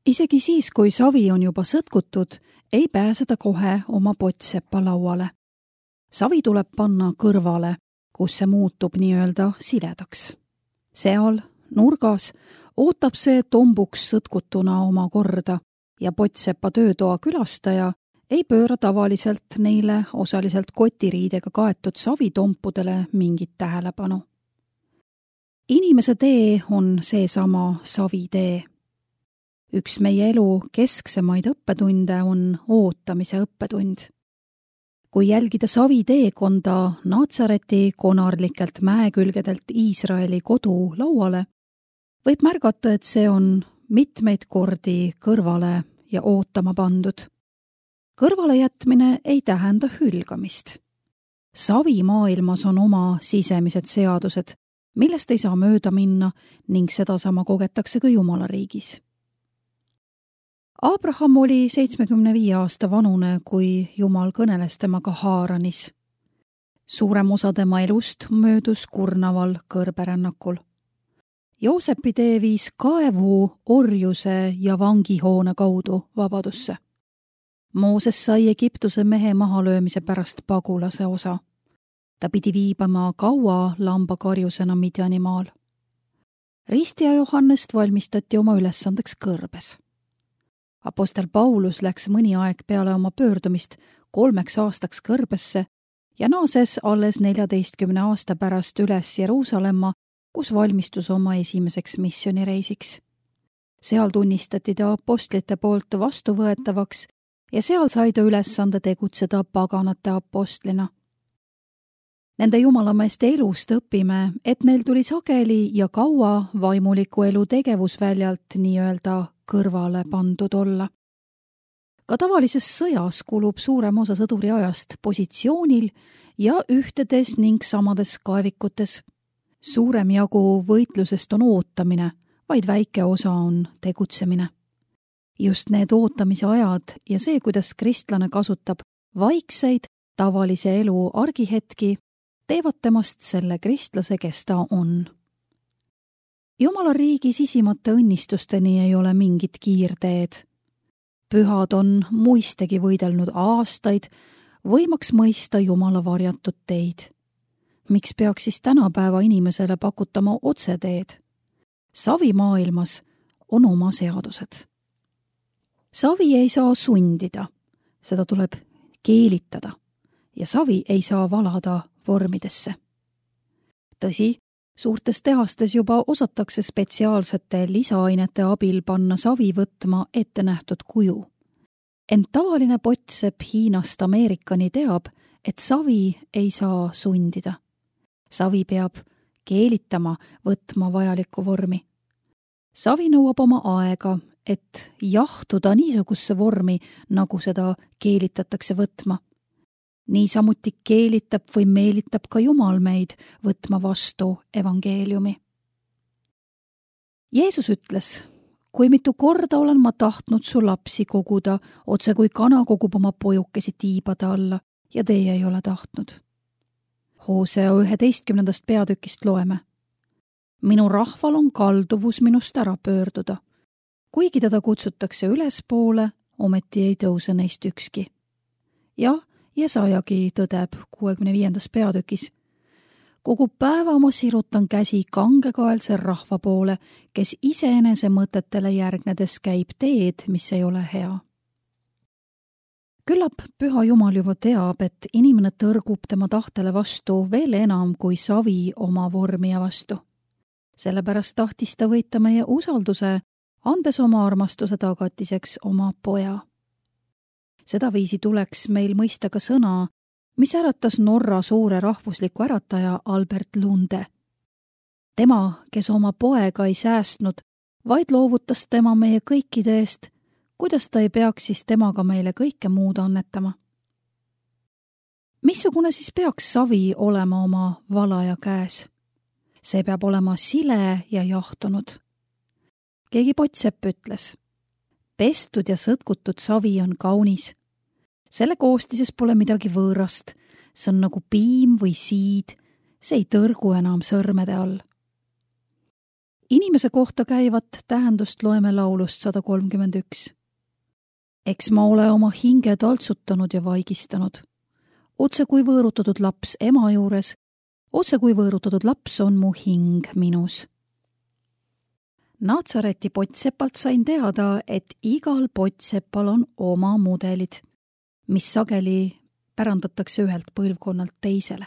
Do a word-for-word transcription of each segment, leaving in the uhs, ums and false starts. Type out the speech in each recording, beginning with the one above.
Isegi siis, kui savi on juba sõtkutud, ei pääse ta kohe oma pottseppa lauale. Savi tuleb panna kõrvale, kus see muutub nii-öelda siledaks. Seal, nurgas, ootab see tombuks sõtkutuna oma korda ja pottsepa töötoa külastaja ei pööra tavaliselt neile osaliselt kotiriidega kaetud savitompudele mingit tähelepanu. Inimese tee on seesama savitee. Üks meie elu kesksemaid õppetunde on ootamise õppetund. Kui jälgida savi teekonda Natsareti konarlikelt mäekülgedelt Iisraeli kodu lauale, võib märgata, et see on mitmeid kordi kõrvale ja ootama pandud. Kõrvale jätmine ei tähenda hülgamist. Savi maailmas on oma sisemised seadused, millest ei saa mööda minna ning sedasama kogetakse ka Jumala riigis. Abraham oli seitsmekümne viie aasta vanune, kui Jumal kõneles temaga Haaranis. Suurem osa tema elust möödus kurnaval kõrberännakul. Joosepi tee viis kaevu, orjuse ja vangihoone kaudu vabadusse. Mooses sai Egiptuse mehe mahalöömise pärast pagulase osa. Ta pidi viibama kaua lambakarjusena Midjanimaal. Ristija Johannest valmistati oma ülesandeks kõrbes. Apostel Paulus läks mõni aeg peale oma pöördumist kolmeks aastaks kõrbesse ja naases alles neljateistkümne aasta pärast üles Jeruusalemma, kus valmistus oma esimeseks missioonireisiks. Seal tunnistati ta apostlite poolt vastuvõetavaks ja seal sai ta ülesande tegutseda paganate apostlina. Nende jumalameeste elust õpime, et neil tuli sageli ja kaua vaimuliku elu tegevusväljalt nii-öelda kõrvale pandud olla. Ka tavalises sõjas kulub suurem osa sõduri ajast positsioonil ja ühtedes ning samades kaevikutes. Suurem jagu võitlusest on ootamine, vaid väike osa on tegutsemine. Just need ootamise ajad ja see, kuidas kristlane kasutab vaikseid tavalise elu argihetki, teevad temast selle kristlase, kes ta on. Jumala riigi sisimate õnnistusteni ei ole mingit kiirteed. Pühad on muistegi võidelnud aastaid, võimaks mõista Jumala varjatud teid. Miks peaks siis tänapäeva inimesele pakutama otseteed? Savi maailmas on oma seadused. Savi ei saa sundida, seda tuleb keelitada ja savi ei saa valada vormidesse. Tõsi, suurtes tehastes juba osatakse spetsiaalsete lisaainete abil panna savi võtma ette nähtud kuju. Ent tavaline pottsepp Hiinast Ameerikani teab, et savi ei saa sundida. Savi peab keelitama, võtma vajalikku vormi. Savi nõuab oma aega, et jahtuda niisugusse vormi, nagu seda keelitatakse võtma. Niisamuti keelitab või meelitab ka Jumal meid võtma vastu evangeeliumi. Jeesus ütles, kui mitu korda olen ma tahtnud su lapsi koguda, otse kui kana kogub oma pojukesi tiibade alla ja teie ei ole tahtnud. Hoosea üheteistkümnendast peatükist loeme. Minu rahval on kalduvus minust ära pöörduda. Kuigi teda kutsutakse ülespoole, ometi ei tõuse neist ükski. Ja Jesajagi tõdeb kuuekümne viiendas peatükis. Kogu päeva ma sirutan käsi kangekaelse rahva poole, kes iseenese mõtetele järgnedes käib teed, mis ei ole hea. Küllap Püha Jumal juba teab, et inimene tõrgub tema tahtele vastu veel enam kui savi oma vormija vastu. Sellepärast tahtis ta võita meie usalduse, andes oma armastuse tagatiseks oma poja. Sedaviisi tuleks meil mõista ka sõna, mis äratas Norra suure rahvusliku ärataja Albert Lunde. Tema, kes oma poega ei säästnud, vaid loovutas tema meie kõikide eest, kuidas ta ei peaks siis temaga meile kõike muud annetama. Missugune siis peaks savi olema oma valaja käes? See peab olema sile ja jahtunud. Keegi pottsepp ütles, pestud ja sõtkutud savi on kaunis. Selle koostises pole midagi võõrast, see on nagu piim või siid, see ei tõrgu enam sõrmede all. Inimese kohta käivat tähendust loeme laulust sada kolmkümmend üks. Eks ma ole oma hinge taltsutanud ja vaigistanud. Otse kui võõrutatud laps ema juures, otse kui võõrutatud laps on mu hing minus. Natsareti pottsepalt sain teada, et igal pottsepal on oma mudelid, mis sageli pärandatakse ühelt põlvkonnalt teisele.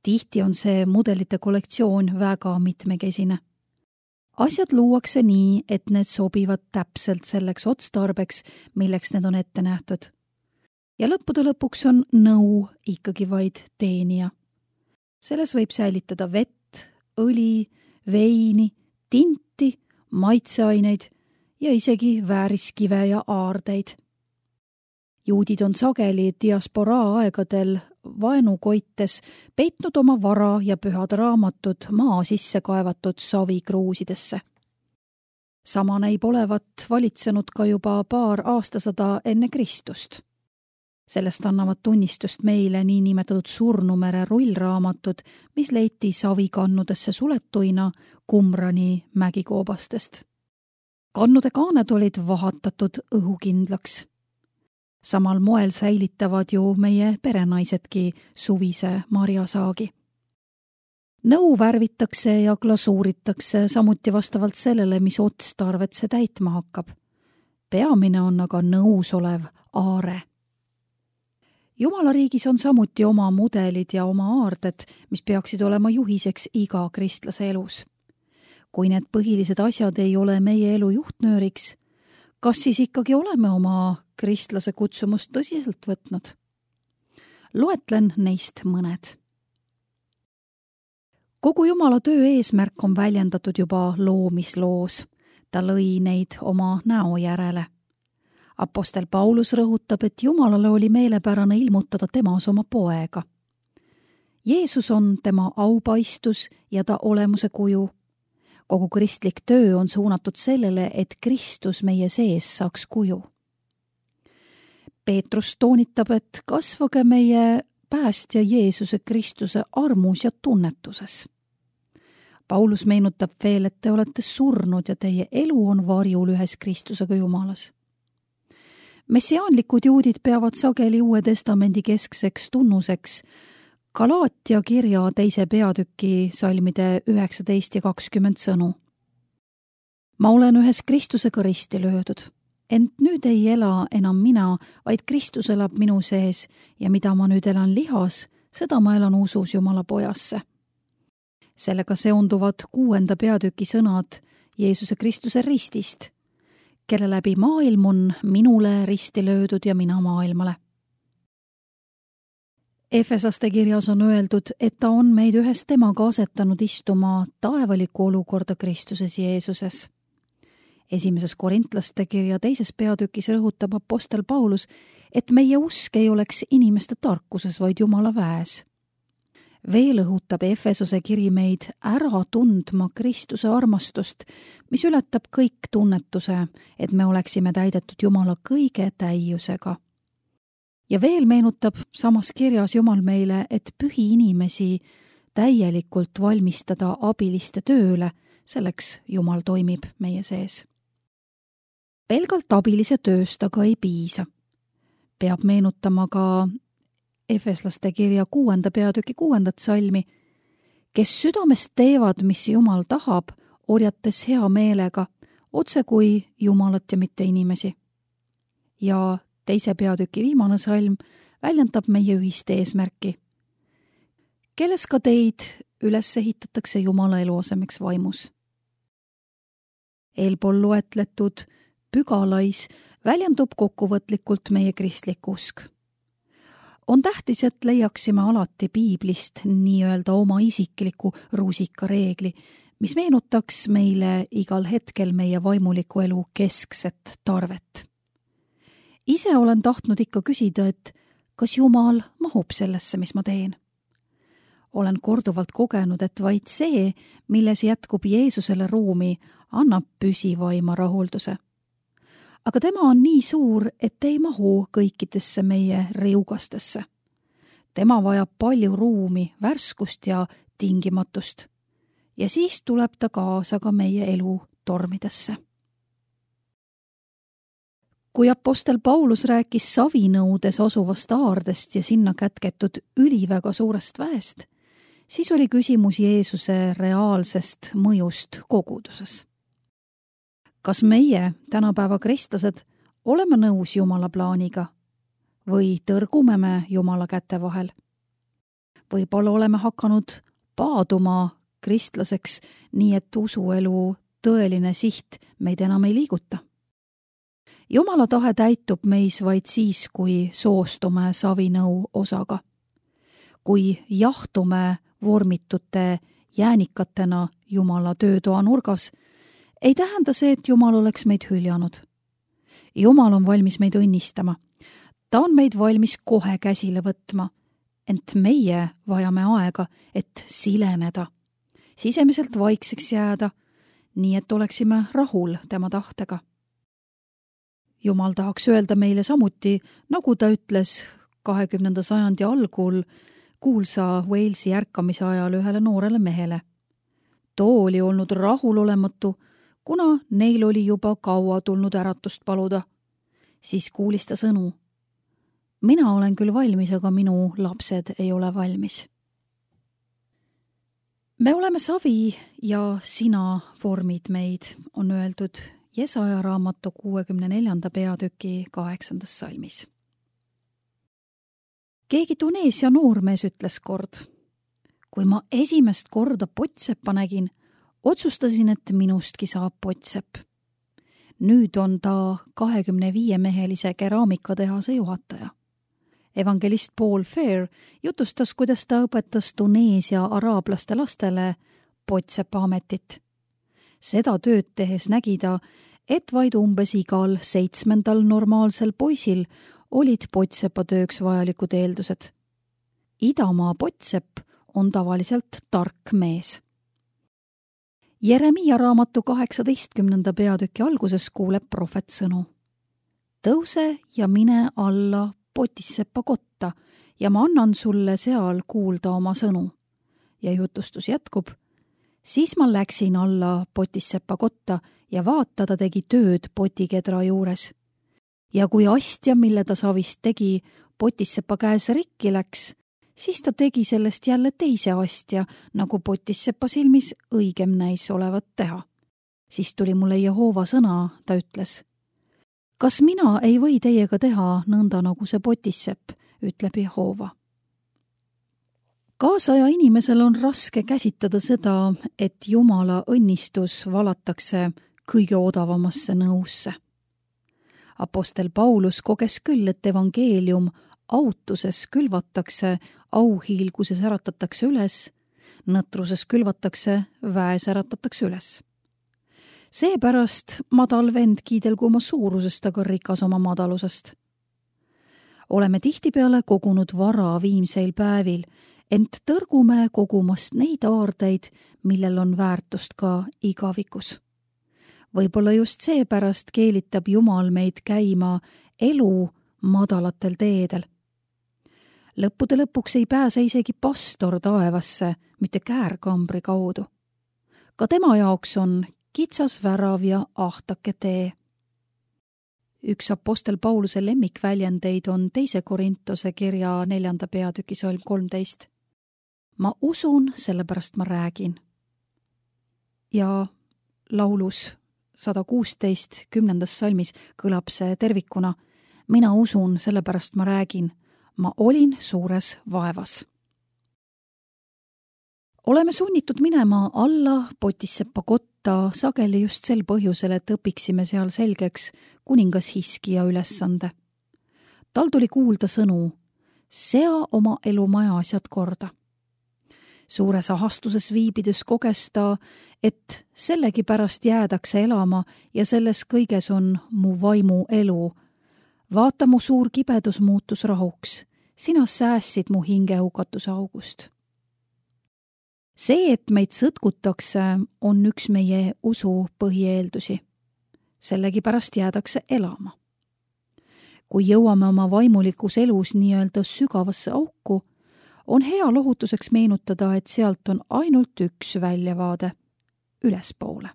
Tihti on see mudelite kollektsioon väga mitmekesine. Asjad luuakse nii, et need sobivad täpselt selleks otstarbeks, milleks need on ette nähtud. Ja lõppude lõpuks on nõu ikkagi vaid teenija. Selles võib säilitada vett, õli, veini, tinti, maitseaineid ja isegi vääriskive ja aardeid. Juudid on sageli diasporaa aegadel vaenukoites peitnud oma vara ja pühad raamatud maa sisse kaevatud savikruusidesse. Sama näib olevat valitsenud ka juba paar aastasada enne Kristust. Sellest annavad tunnistust meile niinimetatud Surnumere rullraamatud, mis leiti savikannudesse suletuina Qumrani mägikoobastest. Kannude kaaned olid vahatatud õhukindlaks. Samal moel säilitavad ju meie perenaisedki suvise marjasaagi. Nõu värvitakse ja glasuuritakse samuti vastavalt sellele, mis otstarvet see täitma hakkab. Peamine on aga nõus olev aare. Jumala riigis on samuti oma mudelid ja oma aarded, mis peaksid olema juhiseks iga kristlase elus. Kui need põhilised asjad ei ole meie elu juhtnööriks, kas siis ikkagi oleme oma kristlase kutsumust tõsiselt võtnud? Loetlen neist mõned. Kogu Jumala töö eesmärk on väljendatud juba loomisloos. Ta lõi neid oma näo järele. Apostel Paulus rõhutab, et Jumalale oli meelepärane ilmutada temas oma poega. Jeesus on tema aupaistus ja ta olemuse kuju. Kogu kristlik töö on suunatud sellele, et Kristus meie sees saaks kuju. Peetrus toonitab, et kasvage meie päästja Jeesuse Kristuse armus ja tunnetuses. Paulus meenutab veel, et te olete surnud ja teie elu on varjul ühes Kristusega Jumalas. Messiaanlikud juudid peavad sageli Uue Testamendi keskseks tunnuseks Galaatia kirja teise peatüki salmide üheksateist ja kakskümmend sõnu. Ma olen ühes Kristusega risti löödud, ent nüüd ei ela enam mina, vaid Kristus elab minu sees ja mida ma nüüd elan lihas, seda ma elan usus Jumala pojasse. Sellega seonduvad kuuenda peatüki sõnad Jeesuse Kristuse ristist, kelle läbi maailm on minule risti löödud ja mina maailmale. Efesaste kirjas on öeldud, et ta on meid ühes temaga asetanud istuma taevalikku olukorda Kristuses Jeesuses. Esimeses Korintlaste kirja teises peatükis rõhutab apostel Paulus, et meie usk ei oleks inimeste tarkuses, vaid Jumala väes. Veel õhutab Efesose kiri meid ära tundma Kristuse armastust, mis ületab kõik tunnetuse, et me oleksime täidetud Jumala kõige täiusega. Ja veel meenutab samas kirjas Jumal meile, et pühi inimesi täielikult valmistada abiliste tööle, selleks Jumal toimib meie sees. Pelgalt abilise tööst aga ei piisa. Peab meenutama ka Efeslaste kirja kuuenda peatüki kuuendat salmi, kes südamest teevad, mis Jumal tahab, orjates hea meelega, otse kui Jumalat ja mitte inimesi. Ja teise peatüki viimane salm väljendab meie ühist eesmärki, kelles ka teid üles ehitatakse Jumala eluasemeks vaimus. Eelpool loetletud pügalais väljendub kokkuvõtlikult meie kristlik usk. On tähtis, et leiaksime alati piiblist nii-öelda oma isikliku rusikareegli, mis meenutaks meile igal hetkel meie vaimuliku elu keskset tarvet. Ise olen tahtnud ikka küsida, et kas Jumal mahub sellesse, mis ma teen? Olen korduvalt kogenud, et vaid see, milles jätkub Jeesusele ruumi, annab püsivaima rahulduse. Aga tema on nii suur, et ei mahu kõikidesse meie riugastesse. Tema vajab palju ruumi, värskust ja tingimatust. ja siis tuleb ta kaasa ka meie elu tormidesse. Kui apostel Paulus rääkis Savinõudes asuvast aardest ja sinna kätketud üliväga suurest väest, siis oli küsimus Jeesuse reaalsest mõjust koguduses. Kas meie, tänapäeva kristlased, oleme nõus Jumala plaaniga või tõrgume me Jumala käte vahel? Võib-olla oleme hakanud paaduma kristlaseks nii, et usuelu tõeline siht meid enam ei liiguta. Jumala tahe täitub meis vaid siis, kui soostume Savinõu osaga. Kui jahtume vormitute jäänikatena Jumala töötoa nurgas, ei tähenda see, et Jumal oleks meid hüljanud. Jumal on valmis meid õnnistama. Ta on meid valmis kohe käsile võtma, ent meie vajame aega, et sileneda, sisemiselt vaikseks jääda, nii et oleksime rahul tema tahtega. Jumal tahaks öelda meile samuti, nagu ta ütles kahekümnenda sajandi algul kuulsa Walesi ärkamise ajal ühele noorele mehele. Too oli olnud rahulolematu, kuna neil oli juba kaua tulnud äratust paluda. Siis kuulis ta sõnu. Mina olen küll valmis, aga minu lapsed ei ole valmis. Me oleme savi ja sina vormid meid, on öeldud Jesaja raamatu kuuekümne neljanda peatüki kaheksandas salmis. Keegi Tuneesia noormees ütles kord, kui ma esimest korda pottseppa nägin, otsustasin, et minustki saab pottsepp. Nüüd on ta kahekümne viie mehelise keraamikatehase juhataja. Evangelist Paul Fair jutustas, kuidas ta õpetas Tuneesia araablaste lastele pottsepa ametit. Seda tööd tehes nägi ta, et vaid umbes igal seitsmendal normaalsel poisil olid pottsepa tööks vajalikud eeldused. Idamaa pottsepp on tavaliselt tark mees. Jeremiia raamatu kaheksateistkümnenda peatüki alguses kuuleb prohvet sõnu. Tõuse ja mine alla potisseppa kotta ja ma annan sulle seal kuulda oma sõnu. Ja jutustus jätkub. Siis ma läksin alla potisseppa kotta ja vaata, ta tegi tööd potikedra juures. Ja kui astja, mille ta savist tegi, potissepa käes rikki läks, siis ta tegi sellest jälle teise astja, nagu potissepa silmis õigem näis olevat teha. Siis tuli mulle Jehova sõna, ta ütles. Kas mina ei või teiega teha nõnda nagu see potissepp, ütleb Jehova. Kaasaja inimesel on raske käsitada seda, et Jumala õnnistus valatakse kõige odavamasse nõusse. Apostel Paulus koges küll, et evangeelium autuses külvatakse, auhiilguses äratatakse üles, nõtruses külvatakse, väes äratatakse üles. Seepärast madal vend kiidelgu oma suurusest, aga rikas oma madalusest. Oleme tihtipeale kogunud vara viimseil päevil, ent tõrgume kogumast neid aardeid, millel on väärtust ka igavikus. Võib-olla just seepärast keelitab Jumal meid käima elu madalatel teedel. Lõppude lõpuks ei pääse isegi pastor taevasse, mitte käärkambri kaudu. Ka tema jaoks on kitsas värav ja ahtake tee. Üks apostel Pauluse lemmikväljendeid on teise Korintuse kirja neljanda peatüki salm kolmteist. Ma usun, sellepärast ma räägin. Ja laulus sada kuusteist kümnendas salmis kõlab see tervikuna. Mina usun, sellepärast ma räägin. Ma olin suures vaevas. Oleme sunnitud minema alla potisseppa kotta sageli just sel põhjusel, et õpiksime seal selgeks kuningas Hiskija ülesande. Tal tuli kuulda sõnu, sea oma elumaja asjad korda. Suures ahastuses viibides koges ta, et sellegi pärast jäädakse elama ja selles kõiges on mu vaimu elu. Vaata, mu suur kibedus muutus rahuks. Sina säässid mu hinge hukatuse august. See, et meid sõtkutakse, on üks meie usu põhieeldusi. Sellegi pärast jäädakse elama. Kui jõuame oma vaimulikus elus nii-öelda sügavasse auku, on hea lohutuseks meenutada, et sealt on ainult üks väljavaade, ülespoole.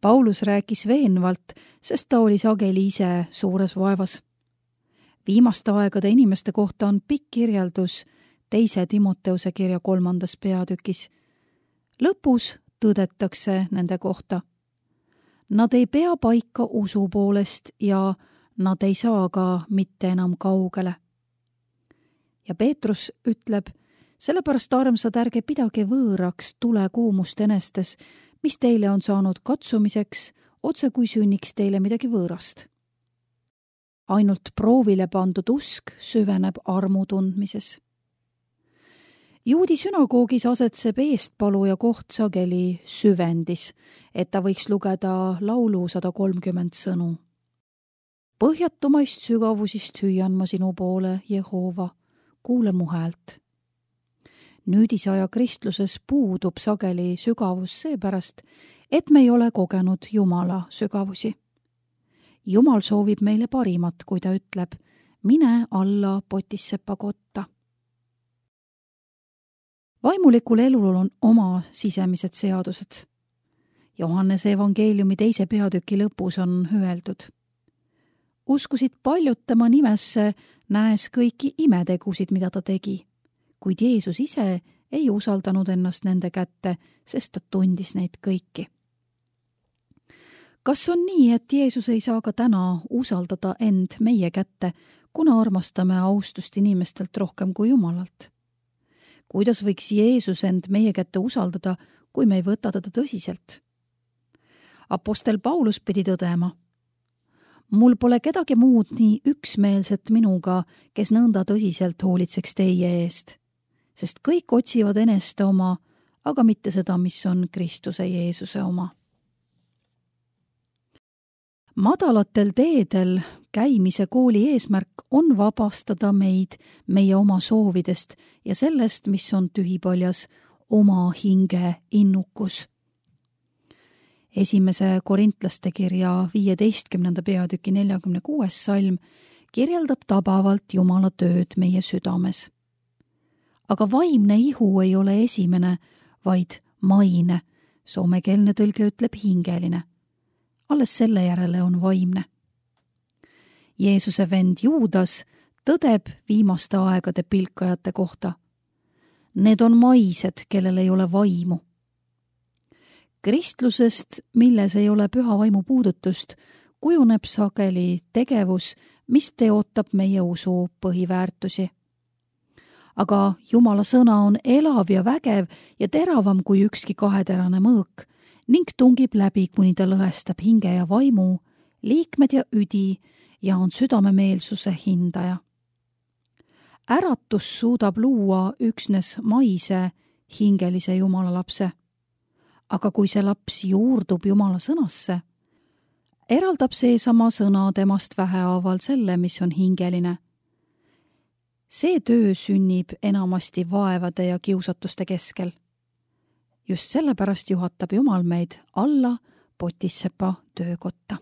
Paulus rääkis veenvalt, sest ta oli sageli ise suures vaevas. Viimaste aegade inimeste kohta on pikk kirjeldus teise Timoteuse kirja kolmandas peatükis. Lõpus tõdetakse nende kohta. Nad ei pea paika usu poolest ja nad ei saa ka mitte enam kaugele. Ja Peetrus ütleb, sellepärast armsad, ärge pidage võõraks tulekuumust enestes, mis teile on saanud katsumiseks, otse kui sünniks teile midagi võõrast. Ainult proovile pandud usk süveneb armu tundmises. Juudi sünagoogis asetseb eestpaluja koht sageli süvendis, et ta võiks lugeda laulu sada kolmkümmend sõnu. Põhjatumaist sügavusist hüüan ma sinu poole, Jehova, kuule mu häält. Nüüdisaja kristluses puudub sageli sügavus seepärast, et me ei ole kogenud Jumala sügavusi. Jumal soovib meile parimat, kui ta ütleb, mine alla potissepa kotta. Vaimulikul elul on oma sisemised seadused. Johannese evangeeliumi teise peatüki lõpus on öeldud. Uskusid paljud tema nimesse, näes kõiki imetegusid, mida ta tegi, kuid Jeesus ise ei usaldanud ennast nende kätte, sest ta tundis neid kõiki. Kas on nii, et Jeesus ei saa ka täna usaldada end meie kätte, kuna armastame austust inimestelt rohkem kui Jumalalt? Kuidas võiks Jeesus end meie kätte usaldada, kui me ei võta teda tõsiselt? Apostel Paulus pidi tõdema, mul pole kedagi muud nii üksmeelset minuga, kes nõnda tõsiselt hoolitseks teie eest, sest kõik otsivad eneste oma, aga mitte seda, mis on Kristuse Jeesuse oma. Madalatel teedel käimise kooli eesmärk on vabastada meid meie oma soovidest ja sellest, mis on tühipaljas oma hinge innukus. Esimese Korintlaste kirja viieteistkümnenda peatüki neljakümne kuues salm kirjeldab tabavalt Jumala tööd meie südames. Aga vaimne ihu ei ole esimene, vaid maine, soomekeelne tõlge ütleb hingeline. Alles selle järele on vaimne. Jeesuse vend Juudas tõdeb viimaste aegade pilkajate kohta. Need on maised, kellel ei ole vaimu. Kristlusest, milles ei ole püha vaimu puudutust, kujuneb sageli tegevus, mis teotab meie usu põhiväärtusi. Aga Jumala sõna on elav ja vägev ja teravam kui ükski kaheterane mõõk ning tungib läbi, kuni ta lõhestab hinge ja vaimu, liikmed ja üdi ja on südamemeelsuse hindaja. Äratus suudab luua üksnes maise hingelise Jumala lapse. Aga kui see laps juurdub Jumala sõnasse, eraldab seesama sõna temast vähehaaval selle, mis on hingeline. See töö sünnib enamasti vaevade ja kiusatuste keskel. Just sellepärast juhatab Jumal meid alla potissepa töökotta.